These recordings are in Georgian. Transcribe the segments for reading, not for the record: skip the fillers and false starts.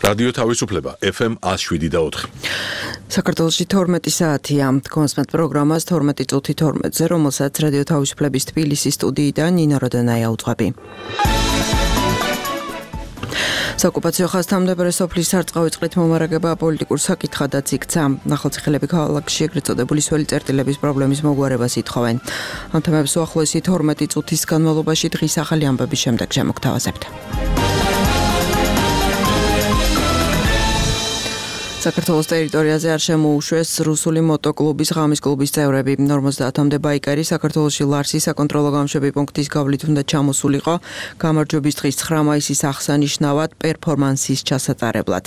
რადიო თავისუფლება FM 107.4. საქართველოში 12 საათია. კონსმეთ პროგრამას 12 წუთი 12-ზე, რომელსაც რადიო თავისუფლების თბილისის სტუდიიდან ნინო როდანაია უძღვები. საოკუპაციო ხაზთამდებარე სოფლის სარწყავი წყლით მომარაგება პოლიტიკურ საკითხადაც იქცა. ნახალციხელები ქალაქში ეგრეთ წოდებული სველი წერტილების პრობლემის მოგვარებას ითხოვენ. ამ თემებს უახლოესი 12 წუთის განმავლობაში დღის ახალი ამბების შემდეგ შემოგთავაზებთ. საქართველოს ტერიტორიაზე არ შემოუშვეს რუსული მოტოკლუბის ღამის კლუბის წევრები. 50-მდე ბაიკერი საქართველოში ლარსის საკონტროლო გამშვები პუნქტის გავლით უნდა ჩამოსულიყო გამარჯვების დღის 9 მაისის აღსანიშნავად პერფორმანსის ჩასატარებლად.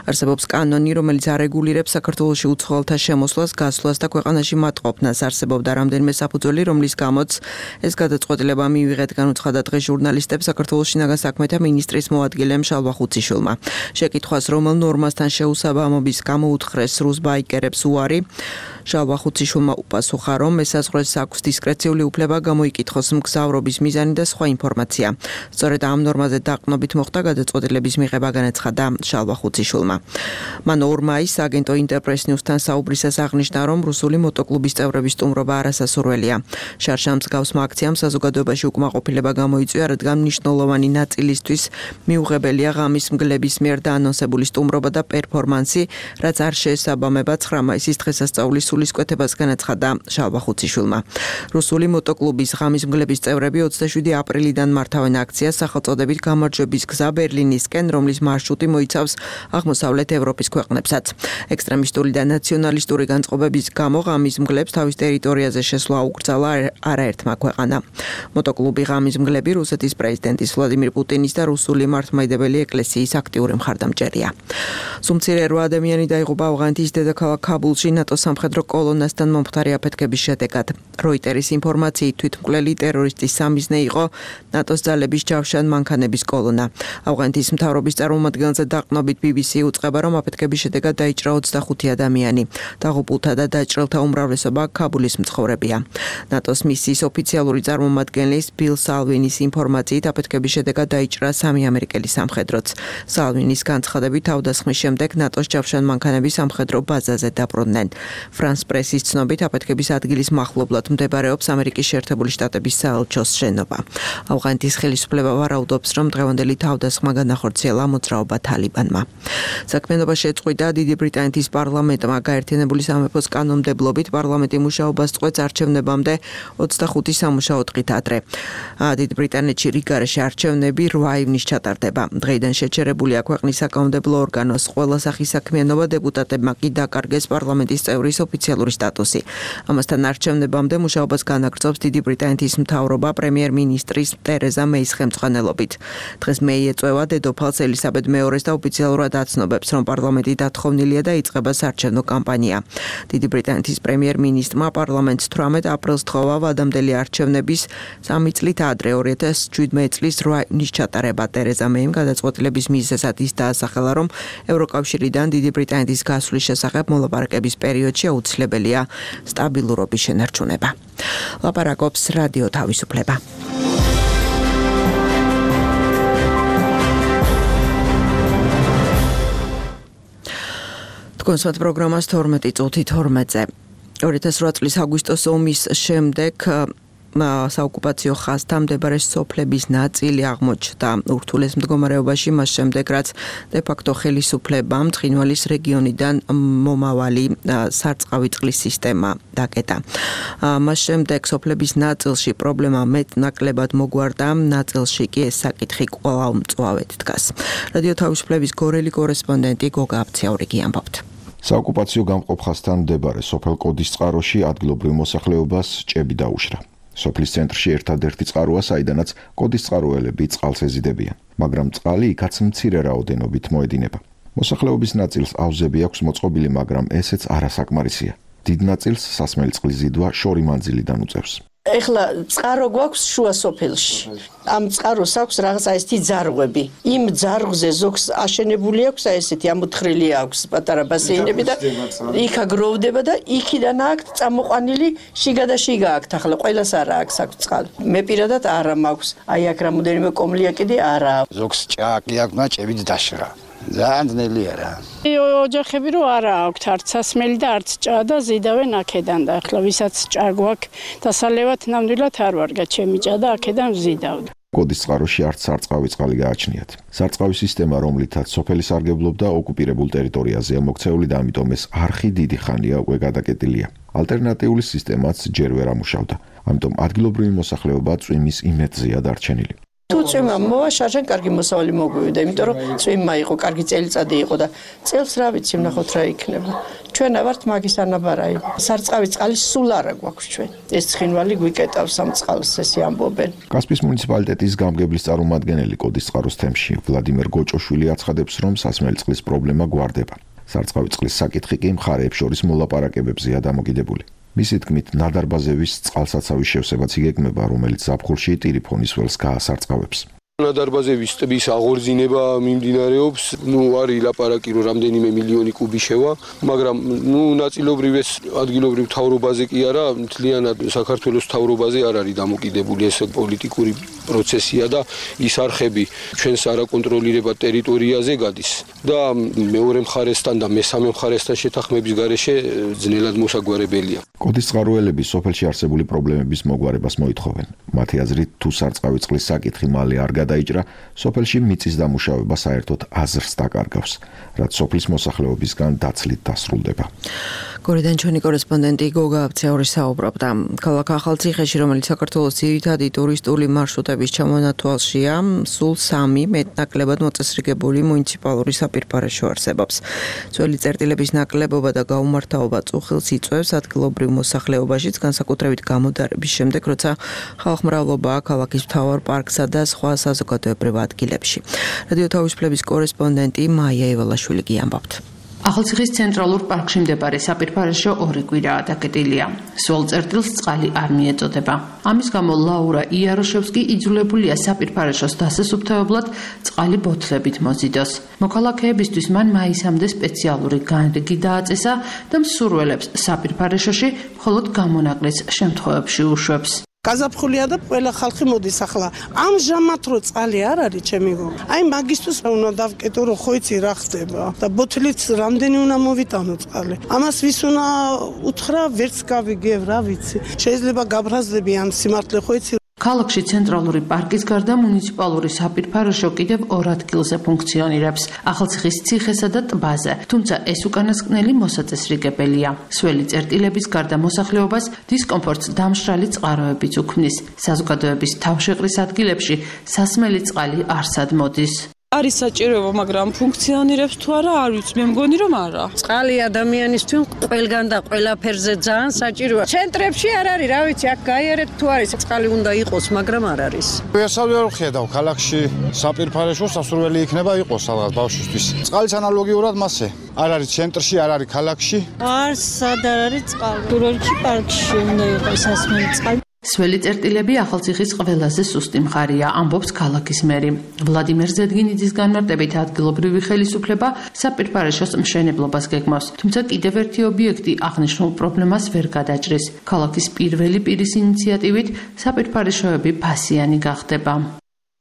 არსებობს კანონი, რომელიც არეგულირებს საქართველოში უცხოელთა შემოსვლას, გასვლას და ქვეყანაში მატყოფნას. არსებობდა რამდენიმე საფუძველი, რომლის გამოც ეს გადაწყვეტილება მივიღეთ, განუცხადა დღეს ჟურნალისტებს საქართველოს შინაგან საქმეთა მინისტრის მოადგილემ შალვა ხუციშვილმა. შეკითხვას, რომელ ნორმასთან შეუსაბამო გამოუთხრეს რუს ბაიკერებს უარი, შალვა ხუციშვილმა უპასუხა, რომ ესაზღვრეს აქვს დისკრეციული უფლება გამოიკითხოს მგზავრობის მიზანი და სხვა ინფორმაცია. სწორედ ამ ნორმაზე დაყრდნობით მოხდა გადაწყვეტილების მიღება, განაცხადა შალვა ხუციშვილმა. მან 2 მაისს აგენტო ინტერპრეს ნიუსთან საუბრისას აღნიშნა, რომ რუსული მოტოკლუბის წევრების სტუმრობა არასასურველია. შარშან მსგავსმა აქციამ საზოგადოებაში უკმაყოფილება გამოიწვია, რადგან მნიშვნელოვანი ნაწილისთვის მიუღებელია ღამის მგლების მიერ დაანონსებული სტუმრობა და პერფორმანსი, რაც არ შეესაბამება 9 მაისის დღესასწაულის სულისკვეთებას, განაცხადა შალვა ხუციშვილმა. რუსული მოტოკლუბის ღამის მგლების წევრები 27 აპრილიდან მართავენ აქციას სახელწოდებით გამარჯვების გზა ბერლინისკენ, რომლის მარშრუტი მოიცავს აღმოსავლეთ ევროპის ქვეყნებსაც. ექსტრემისტული და ნაციონალისტური განწყობების გამო ღამის მგლებს თავის ტერიტორიაზე შესვლა უკრძალა არაერთმა ქვეყანამ. მოტოკლუბი ღამის მგლები რუსეთის პრეზიდენტის ვლადიმირ პუტინის და რუსული მართლმადიდებელი ეკლესიის აქტიური მხარდამჭერია. სუმცირე 8 ადამიანი დაიღუპა ავღანეთის დედაქალაქ ქაბულში ნატოს სამხედრო კოლონასთან მომხდარი აფეთქების შედეგად. როიტერის ინფორმაციით თვითმკვლელი ტერორისტის სამიზნე იყო ნატოს ძალების ჯავშან მანქანების კოლონა. ავღანეთის მთავრობის წარმომადგენელზე დაყრდნობით BBC უწყება, რომ აფეთქების შედეგად დაიჭრა 25 ადამიანი. დაღუპულთა და დაჭრილთა უმრავლესობა ქაბულის მცხოვრებია. ნატოს მისიის ოფიციალური წარმომადგენლის ბილ სალვინის ინფორმაციით აფეთქების შედეგად დაიჭრა 3 ამერიკელი სამხედროც. სალვინის განცხადებით თავდასხმის შემდეგ ნატოს ჯავშან მანქანები სამხედრო ბაზაზე დაბრუნდნენ. ფრანს პრესის ცნობით აფეთქების ადგილის მახლობლად მდებარეობს ამერიკის შეერთებული შტატების საელჩოს შენობა. ავღანეთის ხელისუფლება ვარაუდობს, რომ დღევანდელი თავდასხმა განახორციელა მოძრაობა თალიბანმა. საქმიანობა შეწყვიტა დიდი ბრიტანეთის პარლამენტმა. გაერთიანებული სამეფოს კანონმდებლობით პარლამენტი მუშაობას წყვეტს არჩევნებამდე 25 სამუშაო დღით ადრე. დიდ ბრიტანეთში რიგარეში არჩევნები 8 ივნის ჩატარდება. დღეიდან შეჩერებულია ქვეყნის საკანონმდებლო ორგანოს ყველა სახის საქმიანობა, დეპუტატებმა კი დაკარგეს პარლამენტის წევრის ოფიციალური სტატუსი. ამასთან არჩევნებამდე მუშაობას განაგრძობს დიდი ბრიტანეთის მთავრობა პრემიერ-მინისტრის ტერეზა მეის ხელმძღვანელობით. დღეს მეი ეწევა დედოფალს ელისაბედ მეორეს და ოფიციალურად აცნობებს, რომ პარლამენტი დათხოვნილია და იწყება საარჩევნო კამპანია. დიდი ბრიტანეთის პრემიერ-მინისტრმა პარლამენტს 18 აპრილს თხოვა ვადამდელი არჩევნების 3 წლით ადრე 2017 წლის 8 ივნის ჩატარება. ტერეზა მეიმ გადაწყვეტილების მიზეზად ის დაასახელა, რომ ევროკავშირიდან დიდი ბრიტანეთის გასვლის შესახებ მოლაპარაკების პერიოდში აუცილებელია სტაბილურობის შენარჩუნება. ლაპარაკობს რადიო თავისუფლება. კონსმეთ პროგრამას 12 წუთი 12-ზე. 2008 წლის აგვისტოს ომის შემდეგ საოკუპაციო ხაზთამდებარე სოფლების ნაწილი აღმოჩნდა ურთულეს მდგომარეობაში, მას შემდეგ რაც დე-ფაქტო ხელისუფლებამ ცხინვალის რეგიონიდან მომავალი სარწყავი წყლის სისტემა დაკეტა. მას შემდეგ სოფლების ნაწილში პრობლემა მეტნაკლებად მოგვარდა, ნაწილში კი ეს საკითხი კვლავ მწვავედ დგას. რადიო თავისუფლების გორელი კორესპონდენტი გოგა აბციაურიგი ამბობთ. საოკუპაციო გამყოფ ხაზთან მდებარე სოფელ კოდისწყაროში ადგილობრივ მოსახლეობას ჭები დაუშრა. სოფლის ცენტრში ერთადერთი წყაროა, საიდანაც კოდისწყაროელები წყალს ეზიდებიან, მაგრამ წყალი იქაც მცირე რაოდენობით მოედინება. მოსახლეობის ნაწილს აუზები აქვს მოწყობილი, მაგრამ ესეც არასაკმარისია. დიდ ნაწილს სასმელი წყლის ზიდვა შორი მანძილიდან უწევს. ეხლა წყარო გვაქვს შუა სოფელში. ამ წყაროს აქვს რაღაცა ესეთი ძარღვები. იმ ძარღვზე ზოგს აშენებული აქვს, ესეთი ამოთხრილი აქვს პატარა ბასეინები და იქ აგროვდება და იქიდან აქვს წამოყვანილი შიგა და შიგა აქვს. ახლა ყველას არა აქვს წყალი. მე პირადად არა მაქვს. აი აქ რამოდენიმე კომლია კიდე არა. ზოგს ჭააკი აქვს და ჭებით დაშრა. ძალიან ძნელია რა. ოჯახები რო არა აქვთ არც სასმელი და არც ჭა და ზიდავენ აქედან და ახლა ვისაც ჭა გვაქვს დასალევად ნამდვილად არ ვარგა ჩემი ჭა და აქედან ვზიდავ. კოდის წყაროში არც სარწყავი წყალი გააჩნიათ. სარწყავი სისტემა, რომლითაც სოფელი სარგებლობდა, ოკუპირებულ ტერიტორიაზეა მოქცეული და ამიტომ ეს არხი დიდი ხანია უკვე გადაკეტილია. ალტერნატიული სისტემაც ჯერ ვერ ამუშავდა. ამიტომ ადგილობრივი მოსახლეობა წვიმის იმედზეა დარჩენილი. თუ წვიმა მოვა, შარժან კარგი მოსავალი მოგვივიდა, იმიტომ რომ წვიმა იყო, კარგი წელიწადი იყო და წელს რა ვიცი, ვნახოთ რა იქნება. ჩვენ ავართ მაგის ანაბარაი. სარწყავი წყალი სულ არა გვაქვს ჩვენ. ეს ცხინვალი გვიკეტავს ამ წყალს, ესე ამბობენ. კასპიის მუნიციპალიტეტის გამგებლის წარმომადგენელი კოდის წყაროს თემში ვლადიმერ გოჭოშვილი აცხადებს, რომ სასმელი წყლის პრობლემა გვარდება. სარწყავი წყლის საკითხი კი მხარეებს შორის მოლაპარაკებებზეა დამოკიდებული. მისი თქმით, ნადარბაზევის წყალსაცავის შევსებაც იგეგმება, რომელიც ზაფხულში ტირიფონის ველს გაასარწყავებს. ნადარბაზევის ტბის აღორძინება მიმდინარეობს, არის ლაპარაკი, რომ რამდენიმე მილიონი კუბი შევა, მაგრამ ნაწილობრივ ეს ადგილობრივ მთავრობაზე კი არა, მთლიანად საქართველოს მთავრობაზე არ არის დამოკიდებული, ეს პოლიტიკური პროცესია და ის არხები ჩვენს არაკონტროლირებად ტერიტორიაზე გადის და მეორე მხარესთან და მესამე მხარესთან შეთანხმების გარეშე ძნელად მოსაგვარებელია. კოდის წყაროელები სოფელში არსებული პრობლემების მოგვარებას მოითხოვენ. მათი აზრით, თუ სარწყავი წყლის საკითხი მალე არ გადაიჭრა, სოფელში მიწის დამუშავება საერთოდ აზრს დაკარგავს, რაც სოფლის მოსახლეობისგან დაცლით დასრულდება. გორიდან ჩვენი კორესპონდენტი გოგა აბცეური საუბრობდა. ქალაქ ახალციხეში, რომელიც საქართველოს ძირითადი ტურისტული მარშრუტების ჩამონათვალშია, სულ 3 მეტნაკლებად მოწესრიგებული მუნიციპალური საპირფარეშო არსებობს. ძველი წერტილების ნაკლებობა და გაუმართავობა წუხილს იწვევს ადგილობრივ მოსახლეობაშიც, განსაკუთრებით გამოდარების შემდეგ, როცა ხალხმრავლობაა ქალაქის მთავარ პარკსა და სხვა საზოგადოებრივ ადგილებში. რადიო თავისუფლების კორესპონდენტი მაია ივალაშვილი გიამბობთ. ახალციხის ცენტრალურ პარკში მდებარე საპირფარეშო 2 კვირაა დაკეტილია. სულ წერტილს წყალი არ მიეწოდება. ამის გამო ლაურა იაროშევსკი იძულებულია საპირფარეშოს დასასუფთავებლად წყალი ბოთლებით მოზიდოს. მოქალაქეებისთვის მან მაისამდე სპეციალური განრიგი დააწესა და მსურველებს საპირფარეშოში მხოლოდ გამონაკლის შემთხვევებში უშვებს. გაზაფხულია და ყველა ხალხი მოდის ახლა. ამჟამად რო წყალი არ არის ჩემი გო. აი მაგისტოს უნდა დავკეტო რომ ხო იცი რა ხდება და ბოთლით რამდენი უნდა მოვიტანო წყალი. ამას ვის უნდა უთხრა, ვერც გავიგებ რა ვიცი. შეიძლება გაბრაზდებიან სიმართლე ხო იცი. ქალაქში ცენტრალური პარკის გარდა მუნიციპალური საპირფარეშო კიდევ 2 ადგილზე ფუნქციონირებს, ახალციხის ციხესა და ტბაზე, თუმცა ეს უკანასკნელი მოსაწესრიგებელია. სველი წერტილების გარდა მოსახლეობას დისკომფორტს დამშრალი წყაროებიც უქმნის. საზოგადოების თავშეყრის ადგილებში სასმელი წყალი არსად მოდის. არის საჭიროება, მაგრამ ფუნქციონირებს თუ არა, არ ვიცი, მე მგონი რომ არა. წყალი ადამიანისთვის ყველგან და ყველაფერზე ძალიან საჭიროა. ცენტრებში არ არის, რა ვიცი, აქ გაიარეთ თუ არის, წყალი უნდა იყოს, მაგრამ არ არის. ესავე არ ხედავ, ქალაქში საპირფარეშო სასურველი იქნება იყოს რაღაც ბავშვისთვის. წყალის ანალოგიურად მასე. არ არის ცენტრში, არ არის ქალაქში. არც სად არ არის წყალი. გურორჩი პარკში უნდა იყოს სასმელი წყალი. სველი წერტილები ახალციხის ყველაზე სუსტი მხარეა, ამბობს ქალაქის მერი. ვლადიმერ ზედგინიძის განმარტებით ადგილობრივი ხელისუფლება საპირფარეშოს მშენებლობას გეგმავს, თუმცა კიდევ ერთი ობიექტი აღნიშნულ პრობლემას ვერ გადაჭრის. ქალაქის პირველი პირის ინიციატივით საპირფარეშოები ფასიანი გახდება.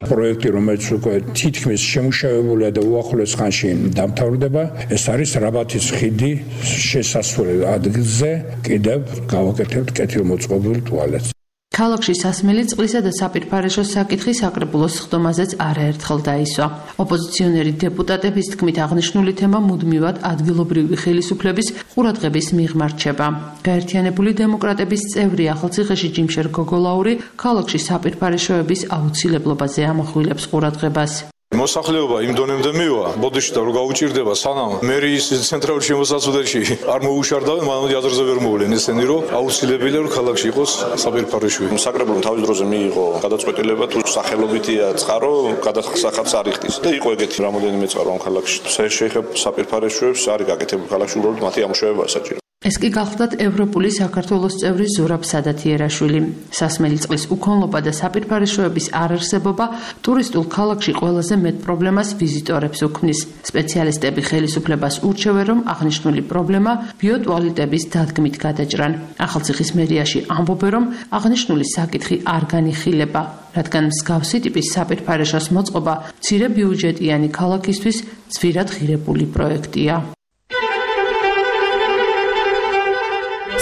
პროექტი, რომელიც უკვე თითქმის შემუშავებულია და უახლოეს ხანში დამთავრდება, ეს არის რაბათის ხიდი შესასვლელ ადგილზე, კიდევ გავაკეთებთ კეთილმოწყობილ ტუალეტს. ქალაქში სასმელი წყლისა და საპირფარეშოს საკითხი საკრებულოს სხდომაზეც არაერთხელ დაისვა. ოპოზიციონერი დეპუტატების თქმით აღნიშნული თემა მუდმივად ადგილობრივი ხელისუფლების ყურადღების მიღმა რჩება. გაერთიანებული დემოკრატების წევრი ახალციხეში ჯიმშერ გოგოლაური ქალაქში საპირფარეშოების აუცილებლობაზე ამახვილებს ყურადღებას. მოსახლეობა იმ დონემდე მივა, ბოდიში და რო გაუჭირდება სანამ მერიის ცენტრალურ შემოსაზღვრებში არ მოუშარდა, მანამდე აზრზე ვერ მოვლენ ესენი, რომ აუცილებელია რომ ქალაქში იყოს საპირფარეშოები. საკრებულომ თავის დროზე მიიღო გადაწყვეტილება, თუ სახელობითია წყარო, გადასახადს არ იხდის და იყო ეგეთი რამოდენიმე წყარო ამ ქალაქში. შეეხება საპირფარეშოებს, არის გაკეთებული ქალაქში, უბრალოდ მათი ამუშავებაა საჭირო. ეს კი გახლდათ ევროპული საქართველოს წევრი ზურაბ სადათიერაშვილი. სასმელი წყლის უქონლობა და საპირფარეშოების არარსებობა ტურისტულ ქალაქში ყველაზე მეტ პრობლემას ვიზიტორებს უქმნის. სპეციალისტები ხელისუფლებას ურჩევენ, რომ აღნიშნული პრობლემა ბიოტუალეტების დადგმით გადაჭრან. ახალციხის მერიაში ამბობენ, რომ აღნიშნული საკითხი არ განიხილება, რადგან მსგავსი ტიპის საპირფარეშოს მოწყობა მცირე ბიუჯეტიანი ქალაქისთვის ძვირად ღირებული პროექტია.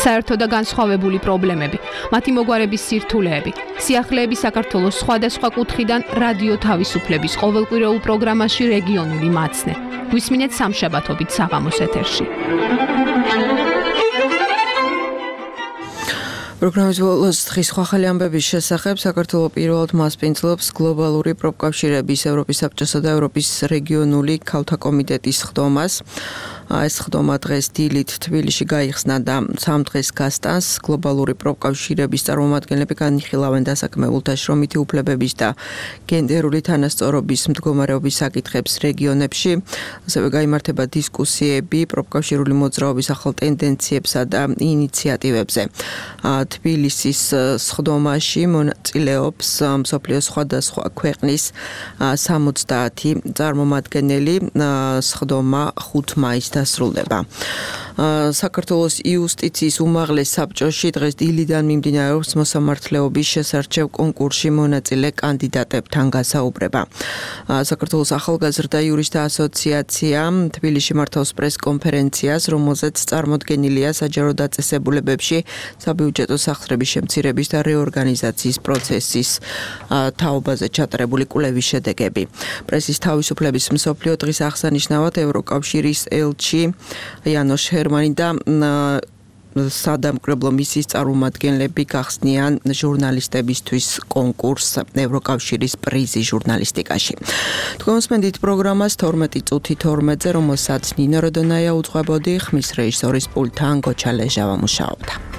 საერთო და განსხვავებული პრობლემები, მათი მოგვარების სირთულეები, სიახლეები საქართველოს სხვადასხვა კუთხიდან რადიო თავისუფლების ყოველკვირეულ პროგრამაში რეგიონული მაცნე. გვისმინეთ სამშაბათობით საღამოს ეთერში. პროგრამის ბოლოს დღის ხალხი ამბების შესახებ საქართველოს პირველად მასპინძლობს გლობალური პროფკავშირების ევროპის საბჭოსა და ევროპის რეგიონული ქალთა კომიტეტის ხდომას. ეს ხდომა დღეს დილით თბილისში გაიხსნა და 3 დღეს გასტანს. გლობალური პროფკავშირების წარმომადგენლები განიხილავენ დასაქმებულთა შრომითი უფლებების და გენდერული თანასწორობის მდგომარეობის საკითხებს რეგიონებში. ასევე გაიმართება დისკუსიები პროფკავშირული მოძრაობის ახალ ტენდენციებსა და ინიციატივებზე. თბილისის სხდომაში მონაწილეობს მსოფლიოს სხვადასხვა ქვეყნის 70 წარმომადგენელი. სხდომა 5 მაისს დასრულდება. საქართველოს იუსტიციის უმაღლეს საბჭოში დღეს დილიდან მიმდინარეობს მოსამართლეობის შესარჩევ კონკურსში მონაწილე კანდიდატებთან გასაუბრება. საქართველოს ახალგაზრდა იურისტთა ასოციაცია თბილისში მართავს პრეს-კონფერენციას, რომელზეც წარმოდგენილია საჯარო დაწესებულებებში საბიუჯეტო სახსრების შემცირების და რეორგანიზაციის პროცესის თაობაზე ჩატარებული კვლევის შედეგები. პრესის თავისუფლების მსოფლიო დღის აღსანიშნავად ევროკავშირის ელჩი იანოშ ჰერმანი და სადამკრებლო მისიის წარმომადგენლები გახსნიან ჟურნალისტებისთვის კონკურსს ევროკავშირის პრიზი ჟურნალისტიკაში. თქვენ მოსმენთ პროგრამას 12 წუთი 12-ზე, რომელსაც ნინო როდონაია უძღვებოდი, ხმის რეჟისორის პულტთან გოჩა ლეჟავა მუშაობდა.